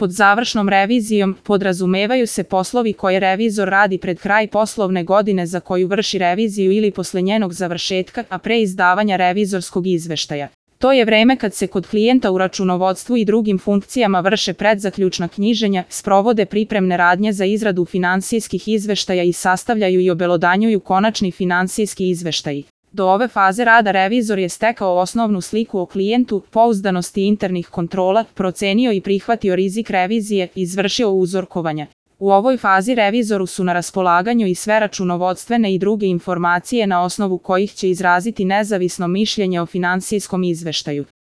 Pod završnom revizijom podrazumevaju se poslovi koje revizor radi pred kraj poslovne godine za koju vrši reviziju ili posle njenog završetka, a pre izdavanja revizorskog izveštaja. To je vreme kad se kod klijenta u računovodstvu i drugim funkcijama vrše predzaključna knjiženja, sprovode pripremne radnje za izradu finansijskih izveštaja i sastavljaju i obelodanjuju konačni finansijski izveštaji. Do ove faze rada revizor je stekao osnovnu sliku o klijentu, pouzdanosti internih kontrola, procenio i prihvatio rizik revizije, izvršio uzorkovanja. U ovoj fazi revizoru su na raspolaganju i sve računovodstvene i druge informacije na osnovu kojih će izraziti nezavisno mišljenje o finansijskom izveštaju.